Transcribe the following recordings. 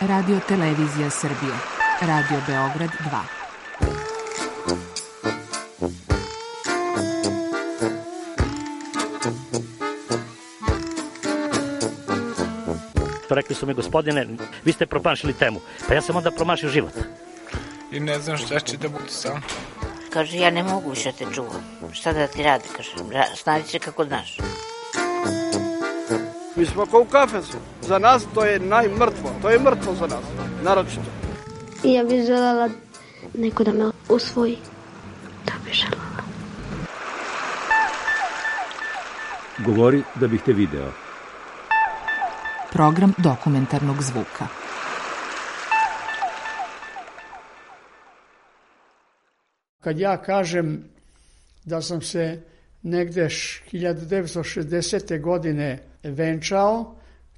Radio Televizija Srbije. Radio Beograd 2. Rekli su mi, gospodine, vi ste promašili temu. Pa ja sam onda promašio život. I ne znam šta će da bude sam. Kaže, ja ne mogu više te čuvam. Šta da ti radi, kaže, snađi se kako znaš. Mi smo kao u kafesu. Za nas to je najmrtvo. To je mrtvo za nas, naročito. I ja bih želela neko da me usvoji. To bih želela. Govori da bih te video. Program dokumentarnog zvuka. Kad ja kažem da sam se negde 1960. godine venčao,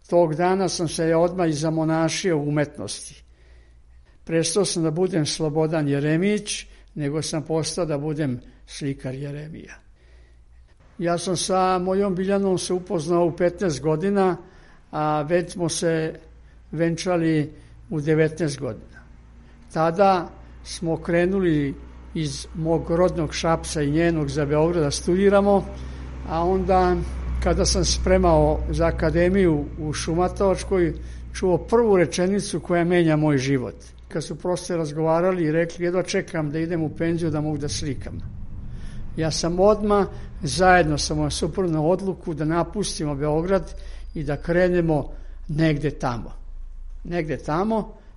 tog dana sam se odmah i zamonašio u umetnosti. Prestao sam da budem Slobodan Jeremić, nego sam postao da budem slikar Jeremija. Ja sam sa mojom Biljanom se upoznao u 15 godina, a već smo se venčali u 19 godina. Tada smo krenuli iz mog rodnog Šapca i njenog za Beograd da studiramo, a onda kada sam spremao za akademiju u Šumatovačkoj, čuo prvu rečenicu koja menja moj život. Kad su prosto razgovarali i rekli, jedva čekam da idem u penziju da mogu da slikam. Ja sam odmah zajedno sa mojom suprugom odluku da napustimo Beograd i da krenemo negde tamo. Negde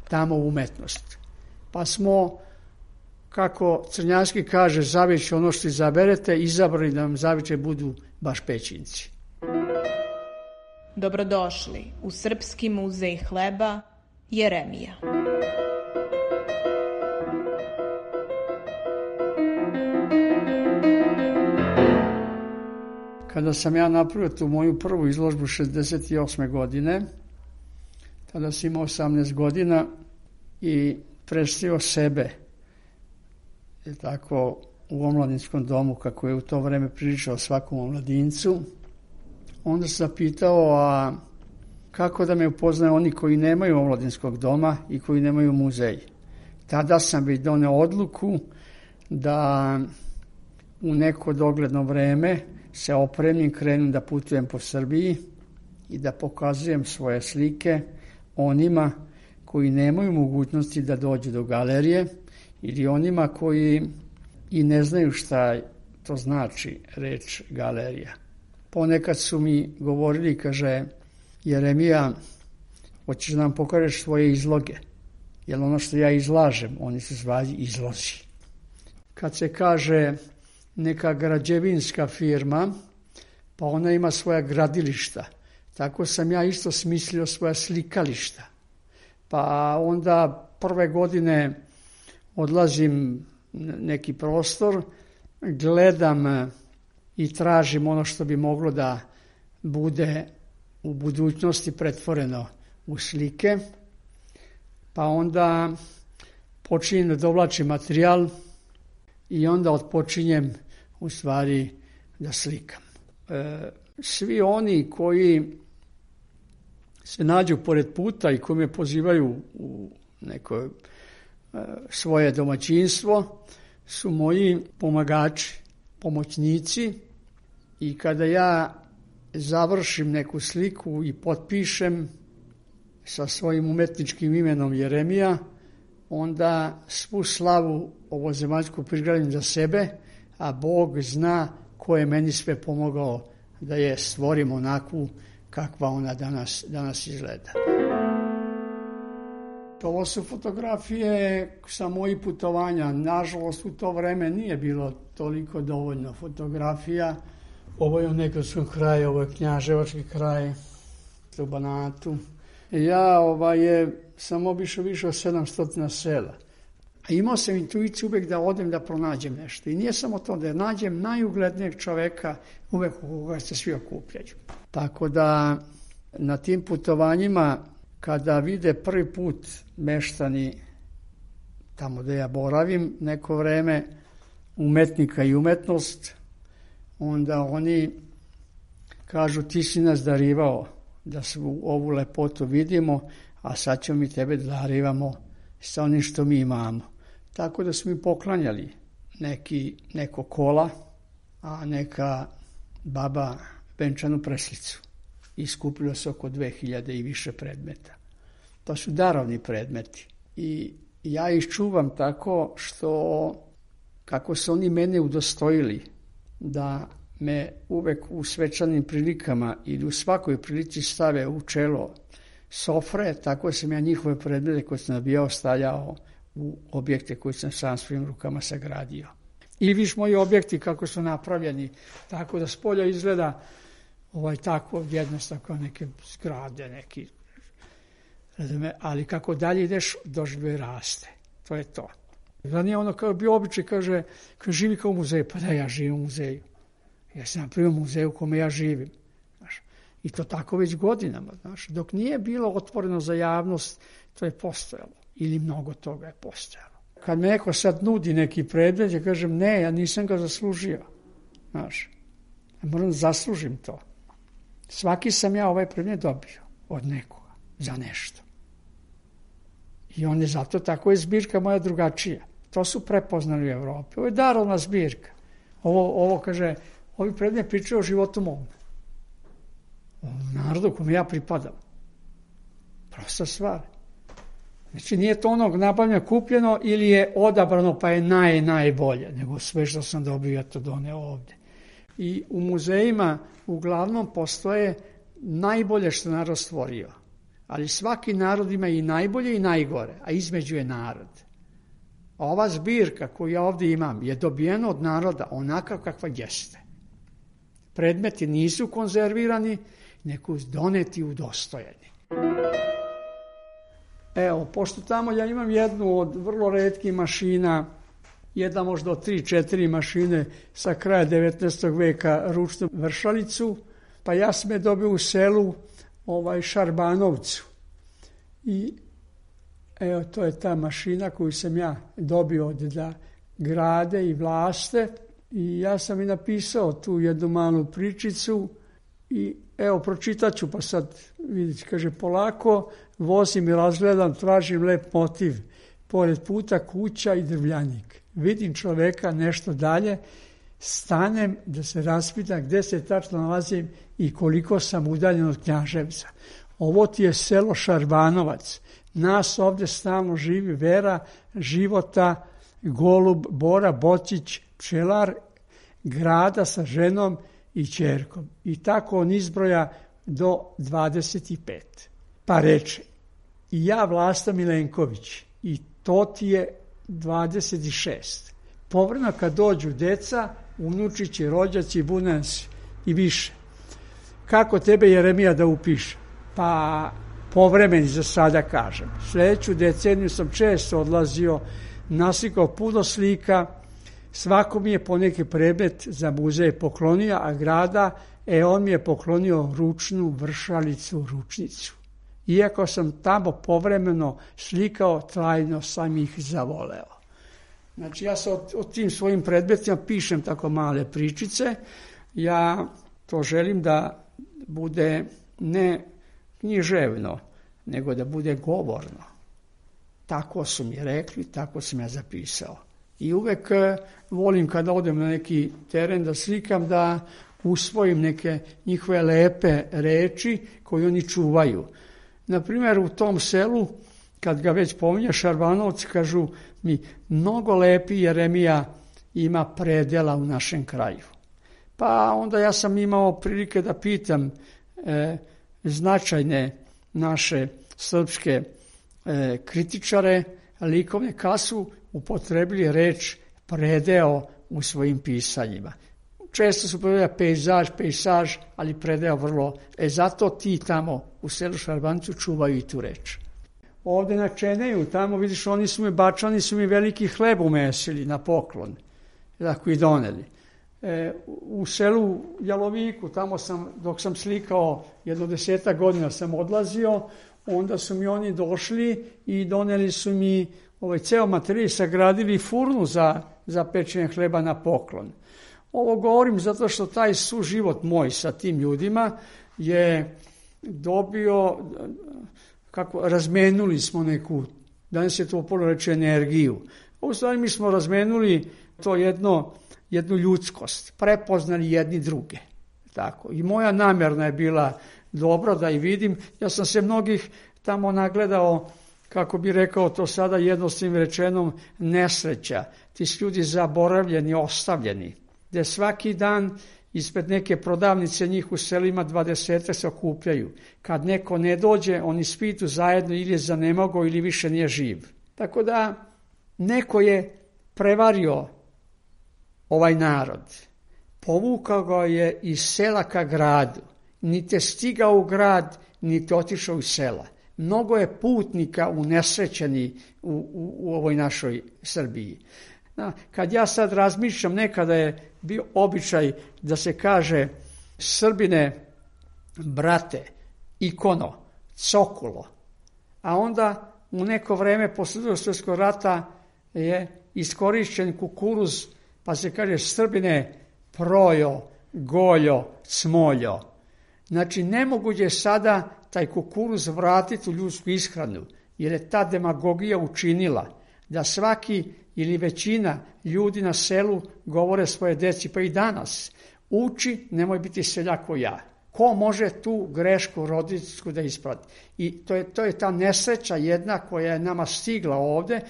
tamo u umetnost. Pa smo, kako Crnjanski kaže, zavići ono što izaberete, izabrali da nam zaviče budu baš Pećinci. Dobrodošli u Srpski muzej hleba Jeremija. Kada sam ja napravio tu moju prvu izložbu 68. godine, tada sam imao 18 godina i predstavio sebe, tako u omladinskom domu, kako je u to vreme pričao svakom omladincu. Onda sam pitao, a kako da me upoznaju oni koji nemaju omladinskog doma i koji nemaju muzej. Tada sam već doneo odluku da u neko dogledno vreme se opremim, krenem da putujem po Srbiji i da pokazujem svoje slike onima koji nemaju mogućnosti da dođu do galerije ili onima koji i ne znaju šta to znači reč galerija. Ponekad su mi govorili, kaže, Jeremija, hoćeš da nam pokažeš svoje izloge, jer ono što ja izlažem, oni se zvali izlozi. Kad se kaže neka građevinska firma, pa ona ima svoja gradilišta, tako sam ja isto smislio svoja slikališta. Pa onda prve godine odlazim neki prostor, gledam i tražim ono što bi moglo da bude u budućnosti pretvoreno u slike, pa onda počinjem da dovlačim materijal i onda otpočinjem u stvari da slikam. Svi oni koji se nađu pored puta i koji me pozivaju u neko svoje domaćinstvo su moji pomagači, pomoćnici, i kada ja završim neku sliku i potpišem sa svojim umetničkim imenom Jeremija, onda svu slavu ovozemaljsku prigradim za sebe, a Bog zna ko je meni sve pomogao da je stvorim onakvu kakva ona danas izgleda. Ovo su fotografije sa mojih putovanja. Nažalost, u to vreme nije bilo toliko dovoljno fotografija. Ovo je u Negotskom kraju, ovo je Knjaževački kraj, u Banatu. Ja sam obišao više od 700 sela. A imao sam intuiciju uvek da odem da pronađem nešto. I nije samo to, da nađem najuglednijeg čoveka uvek u koga se svi okupljaju. Tako da na tim putovanjima, kada vide prvi put meštani tamo da ja boravim neko vreme, umetnika i umetnost, onda oni kažu, ti si nas darivao da svu ovu lepotu vidimo, a sad ćemo mi tebe da darivamo sa onim što mi imamo. Tako da smo mi poklanjali neko kola, a neka baba venčanu preslicu. I skupilo se oko 2000 i više predmeta. To su darovni predmeti. I ja ih čuvam tako što, kako su oni mene udostojili, da me uvek u svečanim prilikama ili u svakoj prilici stave u čelo sofre, tako sam ja njihove predmete koje sam nabijao stavljao u objekte koje sam sam svojim rukama sagradio. I viš moji objekti kako su napravljeni, tako da spolja izgleda tako jednostavno kao neke zgrade, neki, ali kako dalje ideš, doživljaj raste. To je to. Da nije ono kao bio običaj, kaže živi kao u muzeju. Pa da, ja živim u muzeju. Ja sam napravio muzeju u kome ja živim. Znaš. I to tako već godinama. Znaš. Dok nije bilo otvoreno za javnost, to je postojalo. Ili mnogo toga je postojalo. Kad me neko sad nudi neki predmet, ja kažem ne, ja nisam ga zaslužio. Znaš. Ja moram da zaslužim to. Svaki sam ja ovaj predmet dobio od nekoga za nešto. I on je zato, tako je zbirka moja drugačija. To su prepoznali u Evropi. Ovo je darovna zbirka. Ovo kaže, ovi predmet pričaju o životu mom. O narodu kome ja pripadam. Prosta stvar. Znači nije to onog nabavljeno kupljeno ili je odabrano pa je najbolje, nego sve što sam dobio ja to doneo ovde. I u muzejima uglavnom postoje najbolje što narod stvorio. Ali svaki narod ima i najbolje i najgore, a između je narod. Ova zbirka koju ja ovdje imam je dobijena od naroda onakav kakva jeste. Predmeti nisu konzervirani, nego doneti udostojeni. Evo, pošto tamo ja imam jednu od vrlo retkih mašina, jedna možda od 3-4 mašine sa kraja 19. veka ručnu vršalicu, pa ja sam je dobio u selu Šarbanovcu. I evo, to je ta mašina koju sam ja dobio od da grade i vlaste. I ja sam i napisao tu jednu malu pričicu i evo, pročitat ću, pa sad vidite, kaže, polako vozim i razgledam, tražim lep motiv, pored puta kuća i drvljanik. Vidim čoveka nešto dalje, stanem da se raspitam gde se tačno nalazim i koliko sam udaljen od Knjaževca. Ovo ti je selo Šarbanovac. Nas ovde stalno živi Vera, Života, Golub, Bora, Bocić, pčelar, grada sa ženom i ćerkom. I tako on izbroja do 25. Pa reče, i ja Vlasta Milenković, i to ti je 26. Povremeno kad dođu deca, unučići, rođaci, bunansi i više. Kako tebe Jeremija da upiše? Pa povremeni za sada kažem. Sljedeću deceniju sam često odlazio, naslikao puno slika, svako mi je poneki predmet za muzej poklonio, a grada, on mi je poklonio ručnu vršalicu, ručnicu. Iako sam tamo povremeno slikao, trajno sam ih zavoleo. Znači ja sam o tim svojim predmetima pišem tako male pričice. Ja to želim da bude ne književno, nego da bude govorno. Tako su mi rekli, tako sam ja zapisao. I uvek volim kada odem na neki teren da slikam, da usvojim neke njihove lepe reči koje oni čuvaju. Naprimjer, u tom selu, kad ga već pominje Šarbanovci, kažu mi, mnogo lepi Jeremija ima predela u našem kraju. Pa onda ja sam imao prilike da pitam značajne naše srpske kritičare likovne, kad su upotrebili reč predeo u svojim pisanjima. Često su povedali pejzaž, ali predeo vrlo. Zato ti tamo u selu Šarbancu čuvaju i tu reč. Ovde na Čeneju, tamo vidiš, Bačani su mi veliki hleb umesili na poklon, tako i doneli. U selu Jaloviku, tamo dok sam slikao 10 godina sam odlazio, onda su mi oni došli i doneli su mi ceo materijal, sagradili furnu za pečenje hleba na poklon. Ovo govorim zato što taj suživot moj sa tim ljudima je dobio kako razmenuli smo neku, danas je to puno reći energiju. U stvari mi smo razmenuli to jednu ljudskost, prepoznali jedni druge. Tako. I moja namjerna je bila dobra da i vidim. Ja sam se mnogih tamo nagledao, kako bi rekao to sada jednostavnim rečenom, nesreća. Ti su ljudi zaboravljeni, ostavljeni, gde svaki dan ispred neke prodavnice njih u selima 20 se okupljaju. Kad neko ne dođe, oni spitu zajedno ili je zanemogo ili više nije živ. Tako da neko je prevario ovaj narod. Povukao ga je iz sela ka gradu. Niti je stigao u grad, niti otišao iz sela. Mnogo je putnika unesrećeni u ovoj našoj Srbiji. Kad ja sad razmišljam, nekada je bio običaj da se kaže Srbine, brate, ikono, cokulo. A onda u neko vreme posle Drugog svjetskog rata je iskorišćen kukuruz, pa se kaže Srbine, projo, goljo, smoljo. Znači, nemoguće je sada taj kukuruz vratiti u ljudsku ishranu, jer je ta demagogija učinila da svaki ili većina ljudi na selu govore svoje deci, pa i danas, uči, nemoj biti seljak ko ja. Ko može tu grešku roditeljsku da isprati? I to je ta nesreća jedna koja je nama stigla ovde,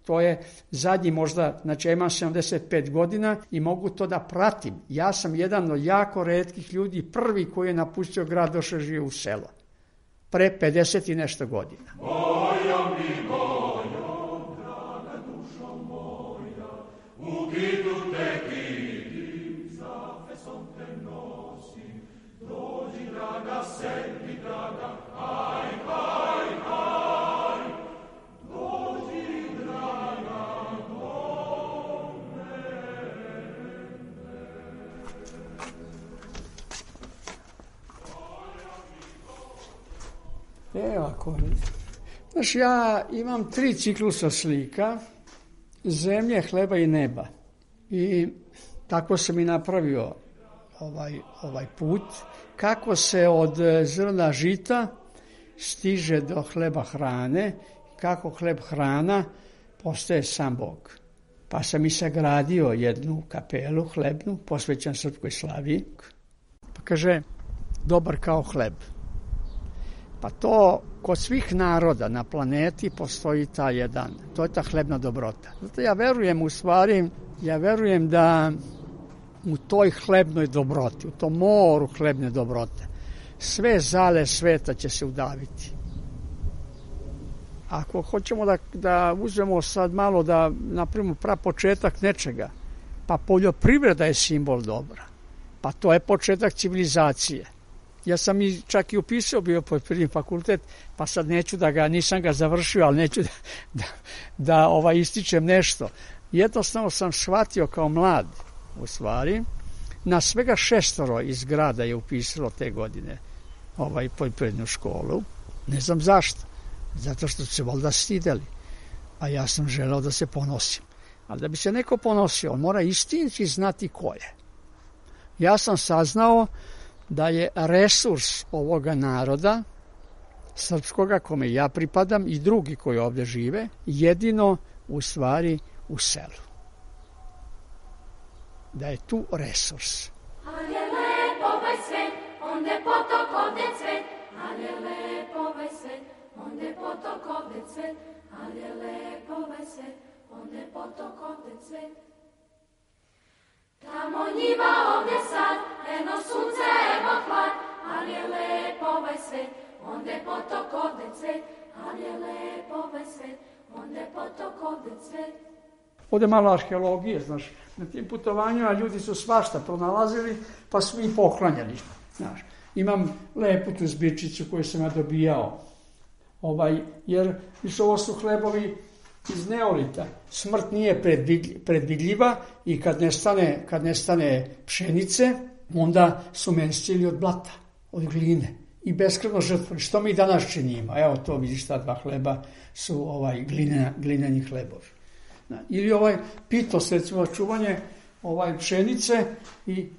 to je zadnji možda, znači ja imam 75 godina i mogu to da pratim. Ja sam jedan od jako retkih ljudi, prvi koji je napustio grad, došao živio u selo. Pre 50 i nešto godina. Moja mi moja, draga dušo moja, u gidu te vidim, za fesom te nosim, dođi draga sebi, draga, haj, haj, haj, dođi draga do mene. Evo ako... Znaš, ja imam 3 ciklusa slika, zemlje, hleba i neba. I tako sam i napravio ovaj put. Kako se od zrna žita stiže do hleba hrane, kako hleb hrana postaje sam Bog. Pa sam i sagradio jednu kapelu hlebnu, posvećan srpskoj slavi. Pa kaže, dobar kao hleb. Pa to kod svih naroda na planeti postoji to je ta hlebna dobrota. Zato ja verujem da u toj hlebnoj dobroti, u tom moru hlebne dobrote, sve zale sveta će se udaviti. Ako hoćemo da uzmemo sad malo da napravimo prapočetak nečega, pa poljoprivreda je simbol dobra. Pa to je početak civilizacije. Ja sam čak i upisao bio poljoprivredni fakultet, pa sad nisam ga završio, ali neću da ističem nešto. Jednostavno sam shvatio kao mlad, u stvari, na svega 6 iz grada je upisalo te godine poljoprivrednu školu. Ne znam zašto. Zato što su se valjda stideli. A ja sam želeo da se ponosim. Ali da bi se neko ponosio, on mora istinski znati ko je. Ja sam saznao da je resurs ovoga naroda, srpskoga, kome ja pripadam i drugi koji ovdje žive, jedino u stvari u selu. Da je tu resurs. Ali je lepo ovaj svet, onde potok ovde cvet, ali je lepo ovaj svet, onde potok ovde cvet, ali je lepo ovaj svet, onde potok ovde cvet. Tamo njiva, ovdje sad, eno sunce, evo hlad, ali je lepo ovaj svet, onde potok ovde cvet, ali je lepo ovaj svet, onde potok ovde cvet. Ovdje malo arheologije, znaš, na tim putovanjima ljudi su svašta pronalazili, pa su i poklanjali, znaš. Imam lepu tu zbirčicu koju sam ja dobijao, jer ovo su hlebovi iz neolita. Smrt nije predvidljiva i kad nestane pšenice, onda su mestili od blata, od gline i beskrvno žrtvovali. Što mi danas činimo? Evo to vidiš, ta 2 hleba su glineni hlebovi. Ili pitos, recimo, čuvanje pšenice i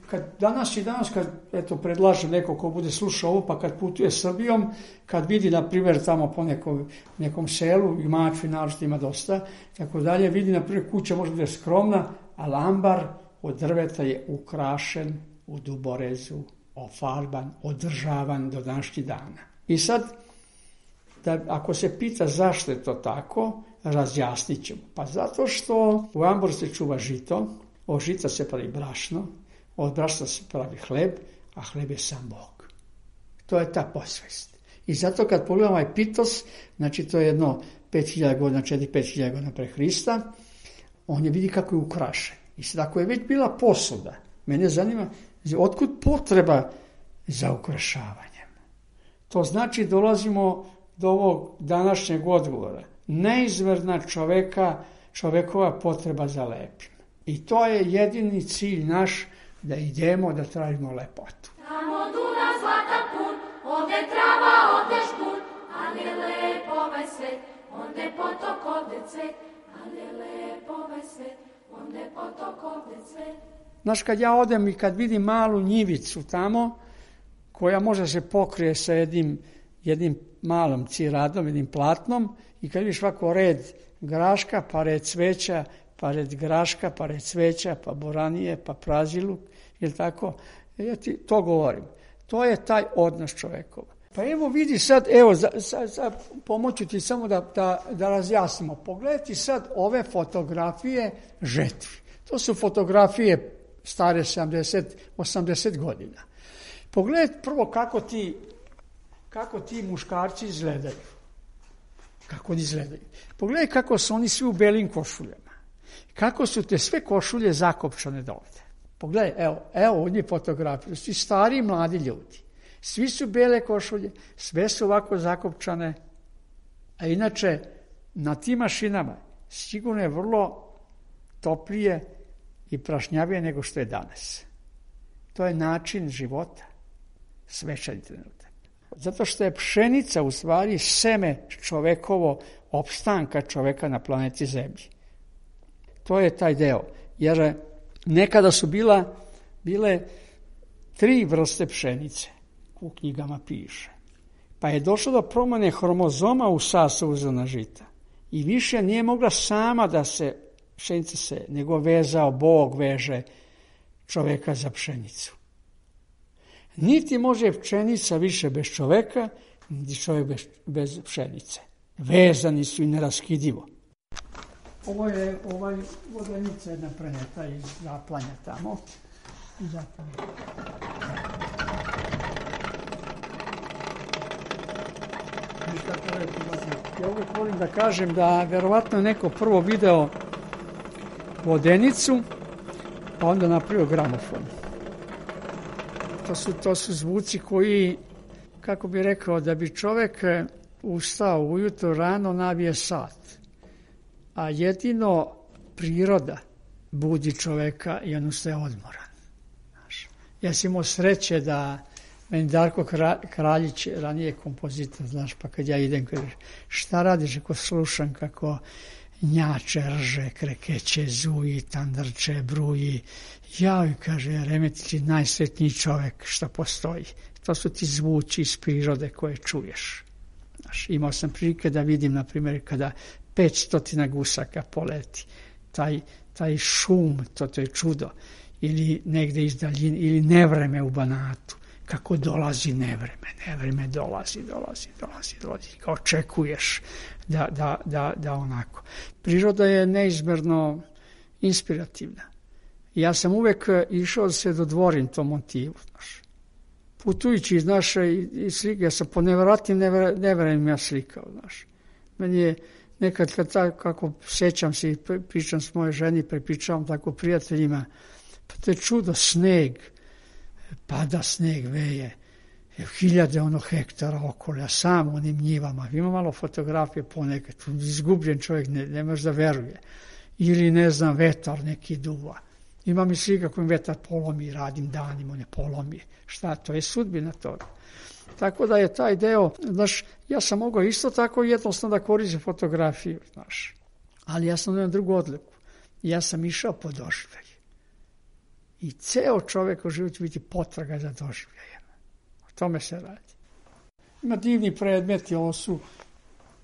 danas kad predlaže neko ko bude slušao ovo, pa kad putuje Srbijom, kad vidi, na primjer, tamo po nekom selu, i Mačvi naročito ima dosta, tako dalje, vidi, na primjer, kuća može biti skromna, ali ambar od drveta je ukrašen u duborezu, ofarban, održavan do današnjih dana. I sad, ako se pita zašto je to tako, razjasnit ćemo. Pa zato što u amboru se čuva žito, od žita se pravi brašno, od brašna se pravi hleb, a hleb je sam Bog. To je ta posvest. I zato kad pogledamo ovaj pitos, znači to je jedno 5000 godina, 4-5000 godina pre Hrista, on je vidi kako je ukrašen. I sad ako je već bila posuda, mene zanima, otkud potreba za ukrašavanjem? To znači dolazimo do ovog današnjeg odgovora. Neizmerna čovekova potreba za lepim. I to je jedini cilj naš, da idemo da tražimo lepotu. Tamo Dunav zlatan pun, ovde trava, ovde špun, ali je lep ovaj svet, onde potok, ovde cvet, ali je lep ovaj svet, onde potok, ovde cvet. Znaš, kad ja odem i kad vidim malu njivicu tamo, koja može se pokrije sa jednim malom ciradom, jednim platnom, i kad vidiš ovako red graška, pa red cveća, pa red graška, pa red cveća, pa boranije, pa praziluk, ili tako, ja ti to govorim. To je taj odnos čovekova. Pa evo vidi sad, sad pomoću ti samo da razjasnimo. Pogledaj sad ove fotografije žetvi. To su fotografije stare 70-80 godina. Pogledaj prvo kako ti muškarci izgledaju. Kako oni izgledaju. Pogledaj kako su oni svi u belim košuljama. Kako su te sve košulje zakopčane dovde. Pogledaj, evo ovdje fotografije. Svi stari i mladi ljudi. Svi su bele košulje, sve su ovako zakopčane. A inače, na tim mašinama sigurno je vrlo toplije i prašnjavije nego što je danas. To je način života. Svečani trenutak. Zato što je pšenica u stvari seme čovekovo opstanka čoveka na planeti Zemlji. To je taj deo. Jer nekada su bile 3 vrste pšenice. U knjigama piše. Pa je došlo do promjene hromozoma u sastavu zrna žita. I više nije mogla sama da se pšenica se, nego Bog veže čoveka za pšenicu. Niti može pšenica više bez čoveka, niti čovjek bez pšenice. Vezani su i neraskidivo. Ovo je vodenica jedna preneta iz Zaplanja tamo. Ja uvijek volim da kažem da verovatno neko prvo video vodenicu, pa onda napravio gramofon. To su zvuci koji, kako bi rekao, da bi čovjek ustao ujutro rano, navije sat. A jedino priroda budi čovjeka i on ustaje odmoran. Ja sam imao sreće da meni Darko Kraljić, ranije kompozitor, znaš, pa kad ja idem, kaže, šta radiš ako slušam kako njače, rže, krekeće, zuji, tandrče, bruji. Ja, kaže, Remetić je najsretniji čovjek što postoji. To su ti zvuči iz prirode koje čuješ. Znaš, imao sam prilike da vidim, na primjer, kada 500 gusaka poleti. Taj šum, to je čudo. Ili negde iz daljine, ili nevreme u Banatu. Kako dolazi nevreme dolazi. Kao očekuješ da onako. Priroda je neizmerno inspirativna. Ja sam uvek išao da se dodvorim tom motivu. Znaš. Putujući iz naše slike, ja sam po nevratnim nevremima slikao. Znaš. Meni je nekad, kako sećam se i pričam s moje ženi, prepričavam tako prijateljima, pa to je čudo, sneg, pada sneg, veje, 1000 hektara okolo, a sam u onim njivama, ima malo fotografije ponekad, izgubljen čovjek, ne može da veruje, ili ne znam, vetar neki duva, imam i slika kojim vetar polomi, radim danima, on je polomi, šta, to je sudbina toga. Tako da je taj deo, znaš, ja sam mogao isto tako jednostavno da koristim fotografiju, znaš, ali ja sam imao drugu odliku, ja sam išao po doživljaj. I ceo čovjek u životu će biti potraga za doživljajem. O tome se radi. Ima divni predmeti, ovo su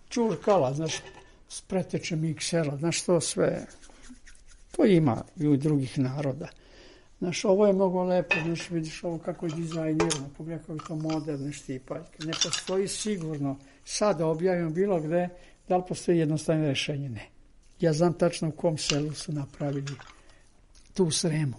čurkala, znaš, s pretečem iksela, znaš, to sve, to ima i u drugih naroda. Znaš, ovo je mnogo lepo, znaš, vidiš ovo kako je dizajnirano, pogledaj kako je to moderne štipaljke. Ne postoji sigurno, sada objavim bilo gde, da li postoji jednostavno rešenje? Ne. Ja znam tačno u kom selu su napravili tu Sremu.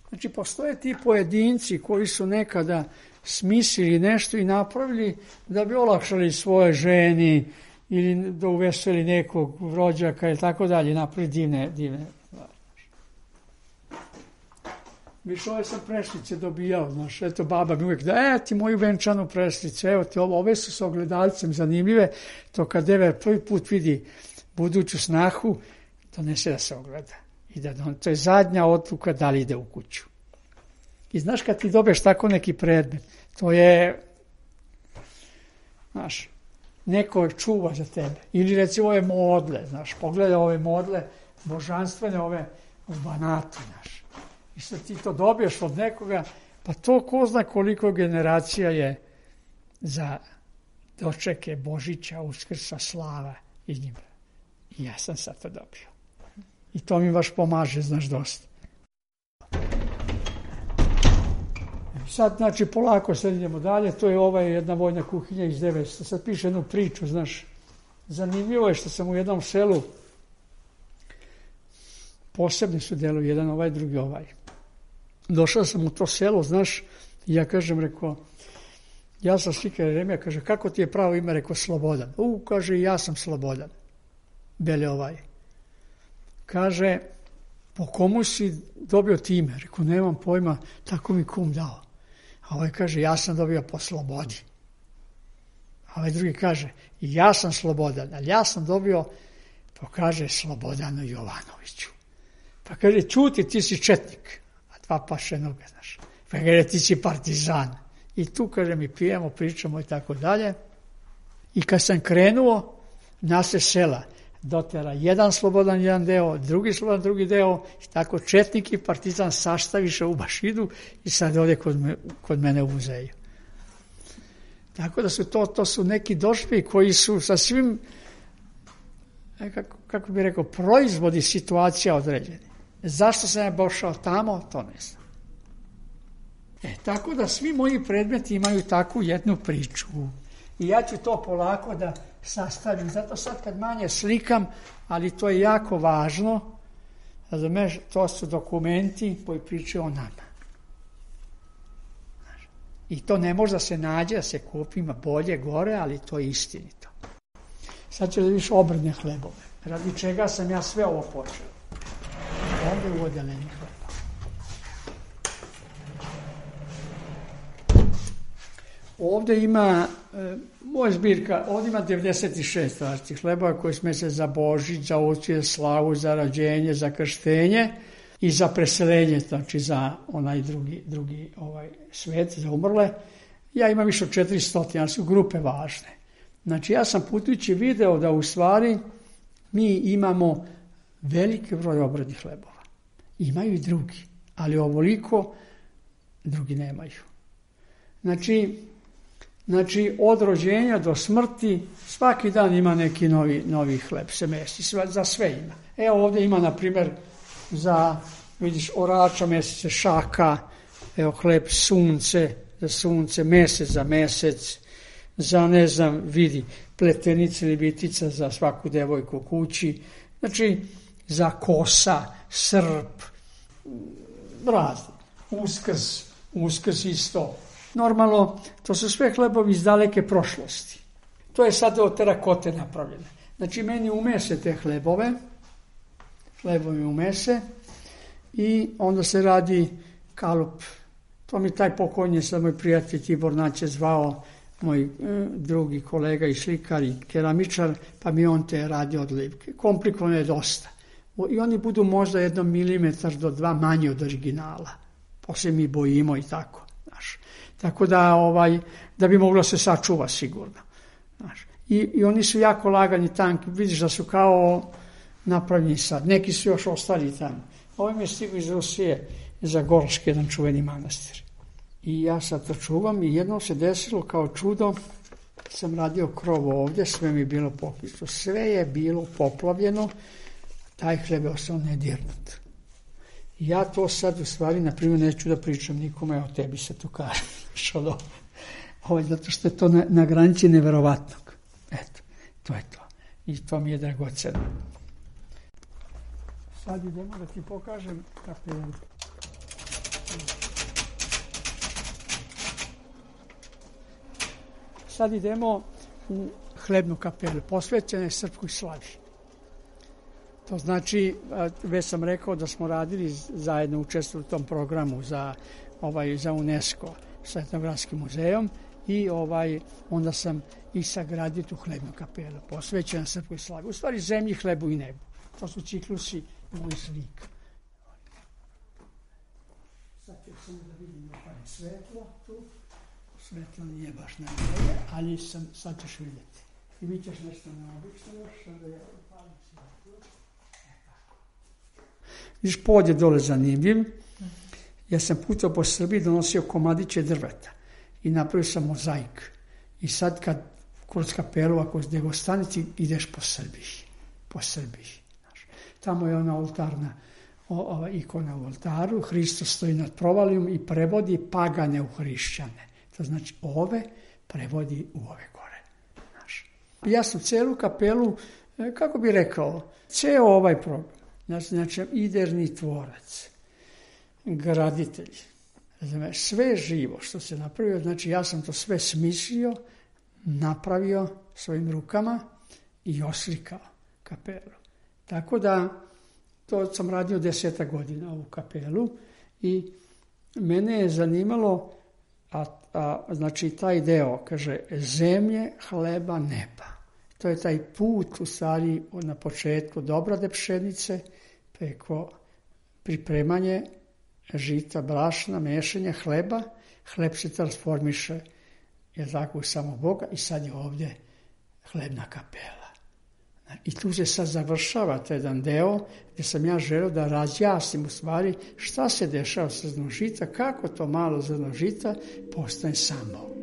Znači, postoje ti pojedinci koji su nekada smislili nešto i napravili da bi olakšali svoje ženi ili da uveseli nekog rođaka ili tako dalje, napravili divne stvari. Viš, ove sam prešlice dobijao, znaš, eto, baba mi uvijek da, ti moju venčanu prešlice, evo ti ove su s ogledalcem zanimljive, to kad Dever prvi put vidi buduću snahu, donese da se ogleda. I to je zadnja odluka da li ide u kuću. I znaš, kad ti dobiješ tako neki predmet, to je, znaš, neko čuva za tebe. Ili recimo ove modle, znaš, pogledaj ove modle, božanstvene ove u Banatu, znaš. I sad ti to dobiješ od nekoga, pa to ko zna koliko generacija je za dočeke Božića, Uskrsa, slava i njima. I ja sam sad to dobio. I to mi baš pomaže, znaš, dosta. Sad, znači, polako sad idemo dalje. To je jedna vojna kuhinja iz 900. Sad piše jednu priču, znaš. Zanimljivo je što sam u jednom selu, posebni su delovi, jedan drugi ovaj. Došao sam u to selo, znaš, i ja kažem, rekao, ja sam Slikar Jeremija, kaže, kako ti je pravo ime, rekao, Slobodan. Kaže, ja sam Slobodan. Bele ovaj. Kaže, po komu si dobio ti ime? Rekao, nemam pojma, tako mi kum dao. A ovaj kaže, ja sam dobio po slobodi. A ovaj drugi kaže, ja sam Slobodan, ali ja sam dobio, pa kaže, Slobodanu Jovanoviću. Pa kaže, čuti, ti si četnik, a dva paše noge, znaš. Pa kaže, ti si partizan. I tu, kaže, mi pijemo, pričamo i tako dalje. I kad sam krenuo, nase sela, dotera jedan Slobodan jedan deo, drugi Slobodan drugi deo, i tako četnik i partizan sastaviše u Bašidu i sad ovdje kod mene u muzeju. Tako da su to su neki doživljaji koji su sa svim, kako bih rekao, proizvodi situacija određeni. Zašto sam ja došao tamo, to ne znam. Tako da svi moji predmeti imaju takvu jednu priču. I ja ću to polako da sastavim. Zato sad kad manje slikam, ali to je jako važno, razumeš, to su dokumenti koji pričaju o nama. I to ne može da se nađe, da se kupi, ima bolje, gore, ali to je istinito. Sad ću da vidiš obredne hlebove. Radi čega sam ja sve ovo počeo. Ovdje u odeljenju hleba. Ovdje ima, moja zbirka, ovdje ima 96 različitih hlebova koji sme se za Božić, za Uskrs, slavu, za rođenje, za krštenje i za preseljenje, znači za onaj drugi svet, za umrle. Ja imam više od 400, ali su grupe važne. Znači ja sam putujući video da u stvari mi imamo veliki broj obrednih hlebova. Imaju i drugi, ali ovoliko drugi nemaju. Znači, od rođenja do smrti svaki dan ima neki novi hleb se mesi, za sve ima. Evo ovdje ima, na primjer, za, vidiš, orača mjeseca, šaka, evo hleb sunce, za sunce, mesec za mesec, za, ne znam, vidi, pletenice ili bitica za svaku devojku u kući, znači, za kosa, srp, razni, uskrs isto. Normalno, to su sve hlebovi iz daleke prošlosti. To je sad od terakote napravljeno. Znači, meni umese te hlebovi umese i onda se radi kalup. To mi taj pokojnji sad moj prijatelj Tibor Naće zvao, moj drugi kolega i slikar i keramičar, pa mi on te radi odlivke. Komplikovano je dosta. I oni budu možda 1 milimetar do 2 manji od originala. Poslije mi bojimo i tako. Znaš. Tako da bi moglo se sačuva sigurno. Znaš. I oni su jako lagani, tanki. Vidiš da su kao napravljeni sad. Neki su još ostali tamo. Ovo mi je stigao iz Rusije za Gorški, jedan čuveni manastir. I ja sad to čuvam i jednom se desilo kao čudo, sam radio krov ovdje, sve mi je bilo pokristo. Sve je bilo poplavljeno, taj hleb je ostao nedirnut. Ja to sad u stvari, na primjer, neću da pričam nikome, o tebi se to kaže. Zato što je to na granici neverovatnog. Eto, to je to. I to mi je dragoceno. Sad idemo da ti pokažem kapelu. Sad idemo u hlebnu kapelu, posvećene Srpskoj slavi. To znači, već sam rekao da smo radili zajedno, učestvovali u tom programu za UNESCO sa Etnogradskim muzejom i onda sam i sagradio tu hlebnu kapelu, posvećena Srpskoj slavi. U stvari zemlji, hlebu i nebu. To su ciklusi mojih slika. Sad ću samo da vidim svetlo tu. Svetlo nije baš najbolje, ali sad ćeš vidjeti. I vi ćeš nešto neobično još, da ja upalim svetlo. Vidiš, pod je dole zanimljiv. Ja sam putao po Srbiji, donosio komadiće drveta i napravio sam mozaik. I sad kad kroz kapelu, ako gdje go stanici, ideš po Srbiji. Tamo je ona oltarna ikona u oltaru, Hristos stoji nad provalijom i prevodi pagane u hrišćane. To znači ove prevodi u ove gore. Ja sam celu kapelu, kako bi rekao, ceo ovaj program, znači idejni tvorac, graditelj, sve živo što se napravio, znači ja sam to sve smislio, napravio svojim rukama i oslikao kapelu. Tako da, to sam radio 10 godina ovu kapelu i mene je zanimalo, znači taj deo, kaže, zemlje, hleba, neba. To je taj put, u stvari, na početku dobrade pšenice, preko pripremanje žita, brašna, mešanja hleba, hleb se transformiše, je tako, u samog Boga i sad je ovdje hlebna kapela. I tu se sad završava taj jedan deo gdje sam ja želeo da razjasnim u stvari šta se dešava sa zrnom žita, kako to malo zrno žita postane sam Bog.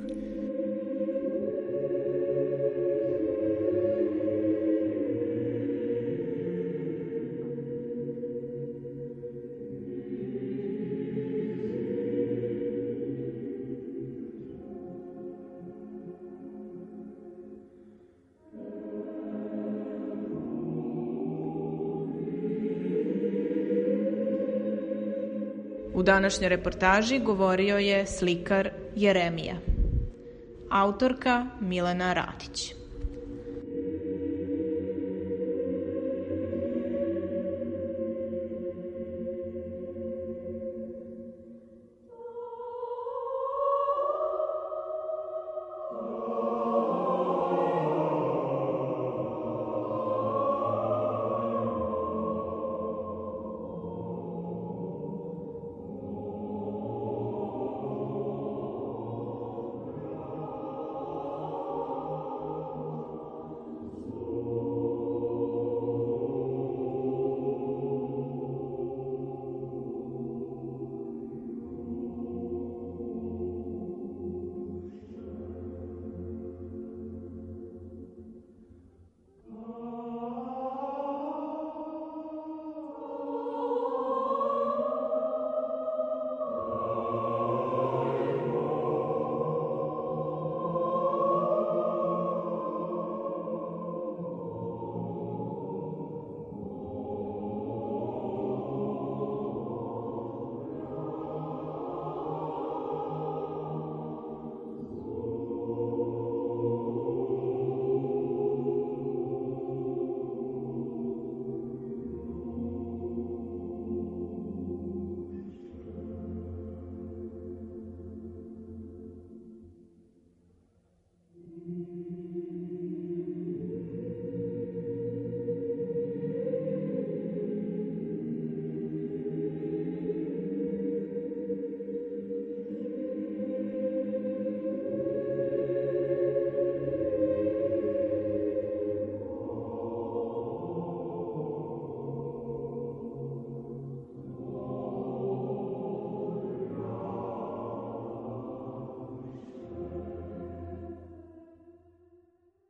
U današnjoj reportaži govorio je slikar Jeremija. Autorka Milena Radić.